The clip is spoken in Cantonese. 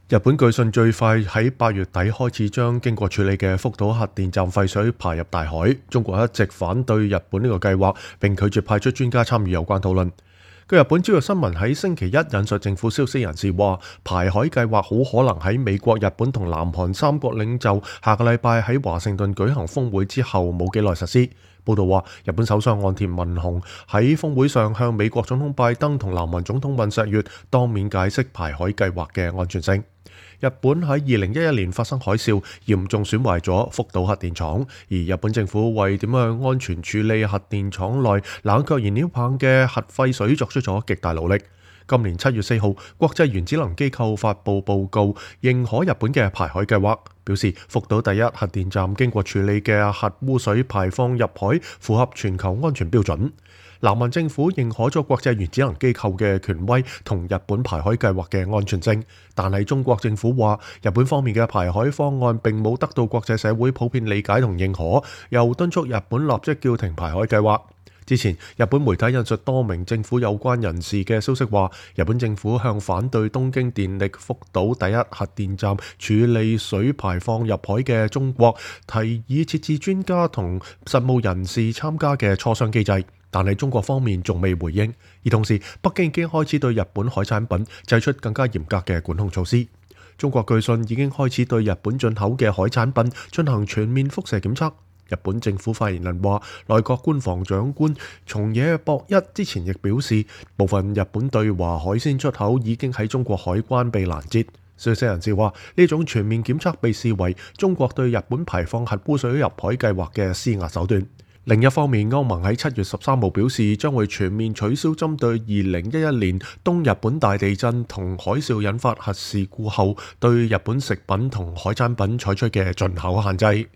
日本據信最快喺8月底開始將經過處理嘅福島核電站廢水排入大海。中國一直反對日本呢個計劃，並拒絕派出專家參與有關討論。據日本朝日新聞喺星期一引述政府消息人士話，排海計劃好可能喺美國、日本同南韓三國領袖下個禮拜喺華盛頓舉行峰會之後冇幾耐實施。報道話，日本首相岸田文雄喺峰會上向美國總統拜登同南韓總統尹錫悅當面解釋排海計劃嘅安全性。日本喺2011年發生海嘯，嚴重損壞咗福島核電廠，而日本政府為點樣安全處理核電廠內冷卻燃料棒嘅核廢水作出咗極大努力。今年7月4號，國際原子能機構發布報告，認可日本嘅排海計劃，表示福島第一核電站經過處理嘅核污水排放入海符合全球安全標準。南韓政府認可咗國際原子能機構嘅權威同日本排海計劃嘅安全性，但係中國政府話日本方面嘅排海方案並冇得到國際社會普遍理解同認可，又敦促日本立即叫停排海計劃。之前，日本媒體引述多名政府有關人士嘅消息話，日本政府向反對東京電力福島第一核電站處理水排放入海嘅中國，提議設置專家同實務人士參加嘅磋商機制，但係中國方面仲未回應。而同時，北京已經開始對日本海產品祭出更加嚴格嘅管控措施。中國據信已經開始對日本進口嘅海產品進行全面輻射檢測。日本政府發言人話，內閣官房長官松野博一之前亦表示，部分日本對華海鮮出口已經喺中國海關被攔截。消息人士話，呢種全面檢測被視為中國對日本排放核污水入海計劃嘅施壓手段。另一方面，歐盟喺7月13號表示，將會全面取消針對2011年東日本大地震同海嘯引發核事故後對日本食品同海產品採取嘅進口限制。